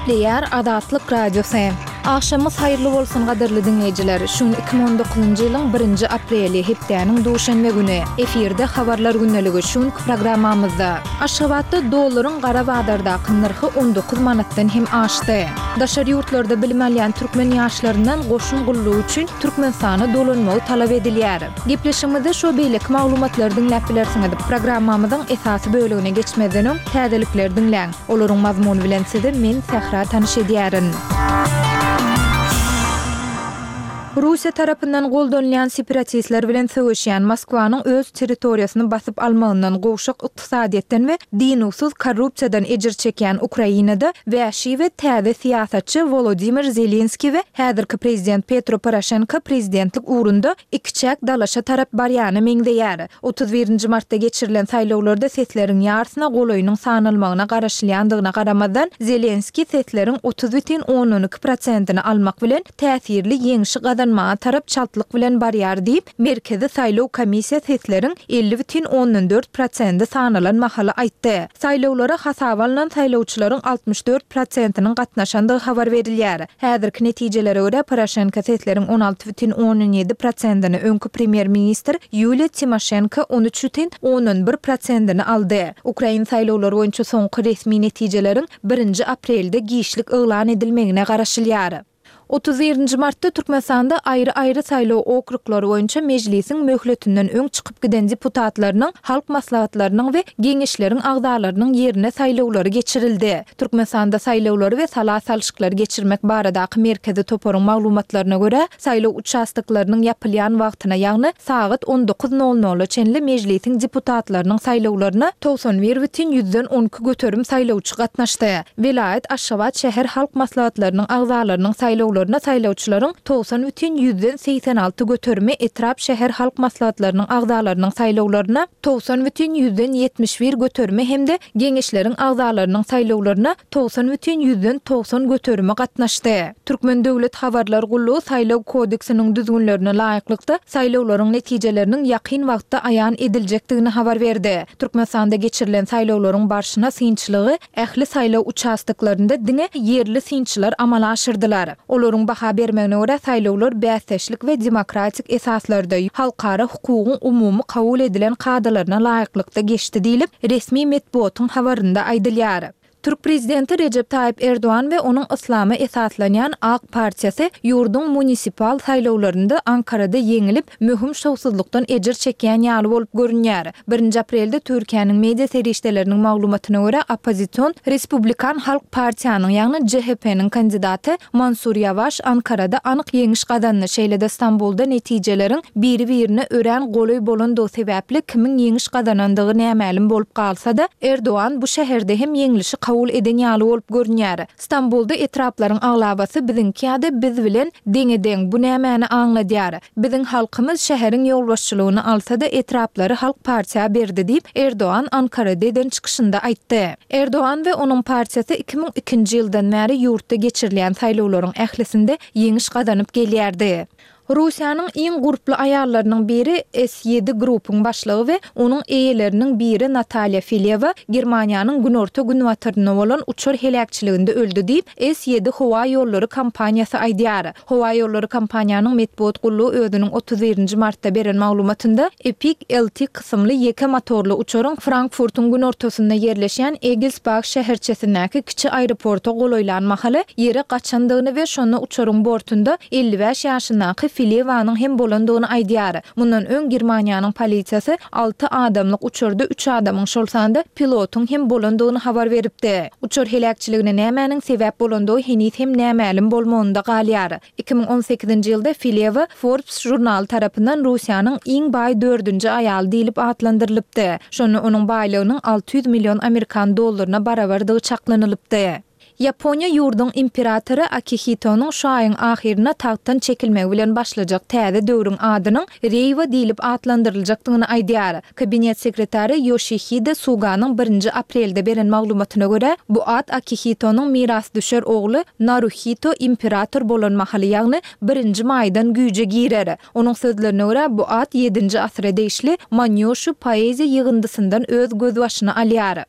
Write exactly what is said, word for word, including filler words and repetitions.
Gepleýär Azatlyk Radiosy. Agşamyňyz haýyrly bolsun gadyrly diňleýjiler. Şu gün iki müň on dokuzynjy ýylyň birinji apreli, hepdäniň duşenbe güni. Efirde Habarlar gündeligi şu günki programmamyzda. Aşgabatda dollaryň gara bazardaky nyrhy on dokuz manatdan hem aşdy. Daşary ýurtlarda bilim alýan türkmen ýaşlaryndan goşun gullugy üçin Türkmenistana dolanmagy talap edilýär. Gepleşigimizde şo beýleki maglumatlary diňläp bilersiňiz. Programmamyzyň esasy bölegine geçmezden öň täzelikleri diňläň. Olaryň mazmuny bilen sizi men Sähra tanyş edýärin. Russiýa tarapyndan goldanylýan separatistler bilen söweşýän Moskwanyň öz territoriýasyny basyp almagyndan gowşak ykdysadyýetden we dynuwsyz korrupsiýadan ejir çekýän Ukrainada wäşi we täze syýasatçy Wolodymyr Zelenskiý we häzirki prezident Petro Poroşenko prezidentlik ugrunda ikiçäk dalaşa tarap barýana meňzeýär. Otuz birinji martda geçirilen saýlawlarda sesleriň ýarsyna golaýynyň sanalmagyna garaşylýandygyna garamazdan, Zelenskiý sesleriň otuz bütin ondan iki prosentini almak bilen täsirli ýeňşi gazanmaga tarap çaltlyk bilen barýar diýip, Merkezi saýlaw komissiýa sesleriň elli bütin ondan dört prosendi sanalan mahaly aýtdy. Saýlawlara hasaba alnan saýlawçylaryň altmyş dört prosentiniň gatnaşandygy habar berilýär. Häzirki netijelere görä, Poroşenko sesleriň on alty bütin ondan ýedi prosentini, öňki premýer-ministr Ýuliýa Timoşenko on üç bütin ondan bir prosentini aldy. Ukrain saýlawlary boýunça soňky resmi netijeleriň birinji aprelde giçlik yglan edilmegine garaşylýar. Otuz birinji martda Türkmenistanda aýry-aýry saýlaw okruglary boýunça mejlisiň möhletinden öň çykyp giden deputatlarynyň, halk maslahatlarynyň we geňeşleriň agzalarynyň ýerine saýlawlary geçirildi. Türkmenistanda saýlawlary we sala salşyklary geçirmek baradaky merkezi toparyň maglumatlaryna görä, saýlaw uçastoklarynyň ýapylýan wagtyna, ýagny sagat on dokuz nol nola çenli mejlisiň deputatlarynyň saýlawlaryna togsan bir bütin ýüzden on iki göterim saýlawçy gatnaşdy. Welaýat, Aşgabat şäher halk maslahatlarynyň agzalarynyň saýlawlaryna saýlawçylaryň togsan bütin ýüzden segsen alty göterimi, etrap şäher halk maslahatlarynyň agzalarynyň saýlawlaryna togsan bütin ýüzden ýetmiş bir göterimi hem-de geňeşleriň agzalarynyň saýlawlaryna togsan bütin ýüzden togsan göterimi gatnaşdy. Türkmen döwlet habarlar gullugy saýlaw kodeksiniň düzgünlerine laýyklykda saýlawlaryň netijeleriniň ýakyn wagtda aýan ediljekdigini habar berdi. Türkmenistanda geçirilen saýlawlaryň barşyna synçylygy ähli saýlaw uçastoklarynda diňe ýerli synçylar amala aşyrdylar. Olaryň baha bermegine görä saýlawlar bäsdeşlik we demokratik esaslarda halkara hukugyň umumy kabul edilen kadalaryna laýyklykda geçdi diýlip, resmi metbugatyň habarynda aýdylýar. Türk prezidenti Rejep Taýyp Erdogan we onuň yslama esaslanýan AK partiýasy ýurduň munisipal saýlawlarynda Ankarada ýeňilip, möhüm şowsuzlykdan ejir çekýän ýaly bolup görünýär. Birinji aprelde Türkiýäniň media serişdeleriniň maglumatyna görä, oppozision Respublikan Halk partiýanyň, ýagny J H P-niň kandidaty Mansur Ýawaş Ankarada anyk ýeňiş gazandy, şeýle-de Stambulda netijeleriň biri-birine örän golaý bolandygy sebäpli kimiň ýeňiş gazanandygy nämälim bolup galsa-da, Erdogan bu şäherde hem ýeňlişi kabul eden ýaly bolup görünýär. Stambulda etraplaryň aglabasy biziňki ýa-da biz bilen deňe-deň, bu nämäni aňladýar? Biziň halkymyz şäheriň ýolbaşçylygyny alsa-da etraplary halk partiýa berdi diýip, Erdogan Ankarada eden çykyşynda aýtdy. Erdogan we onuň partiýasy iki müň ikinji ýyldan bäri ýurtda geçirilýän saýlawlaryň ählisinde ýeňiş gazanyp gelýärdi. Russiýanyň iň gurply aýallarynyň biri S ýedi Group-yň başlygy we onuň eýeleriniň biri Natalýa Filewa Germaniýanyň günorta-günbatarynda bolan uçar heläkçiliginde öldi diýip, S ýedi howa ýollary kompaniýasy aýdýar. Howa ýollary kompaniýanyň metbugat gullugy özüniň otuz birinji martda beren maglumatynda Epic L T kysymly ýeke motorly uçaryň Frankfurtyň günortasynda ýerleşýän Egelsbach şäherçesindäki kiçi aeroporta golaýlan mahaly ýere gaçandygyny we şonda uçaryň bortunda elli bäş ýaşyndaky Filewanyň hem bolandygyny aýdýar. Mundan öň Germaniýanyň polisiýasy alty adamlyk uçarda üç adamyň, şol sanda pilotyň hem bolandygyny habar beripdi. Uçar heläkçiligine nämäniň sebäp bolandygy heniz hem nämälim bolmagynda galýar. Iki müň on sekizinji ýylda Filewa Forbes žurnaly tarapyndan Russiýanyň iň baý dördünji aýaly diýlip atlandyrylypdy. Şonda onuň baýlygynyň alty ýüz million amerikan dollaryna barabardygy çaklanylypdy. Ýaponiýa ýurduň imperatory Akihitonyň şu aýyň ahyryna tagtdan çekilmegi bilen başlajak täze döwrüň adynyň Reýwa diýlip atlandyryljakdygyny aýdýar. Kabinet sekretary Ýoşihide Suganyň birinji aprelde beren maglumatyna görä, bu at Akihitonyň mirasdüşer ogly Naruhito imperator bolan mahaly, ýagny birinji maýdan güýje girer. Onuň sözlerine görä, bu at ýedinji asyra degişli Manýoşu poeziýa ýygyndysyndan öz gözbaşyny alýar.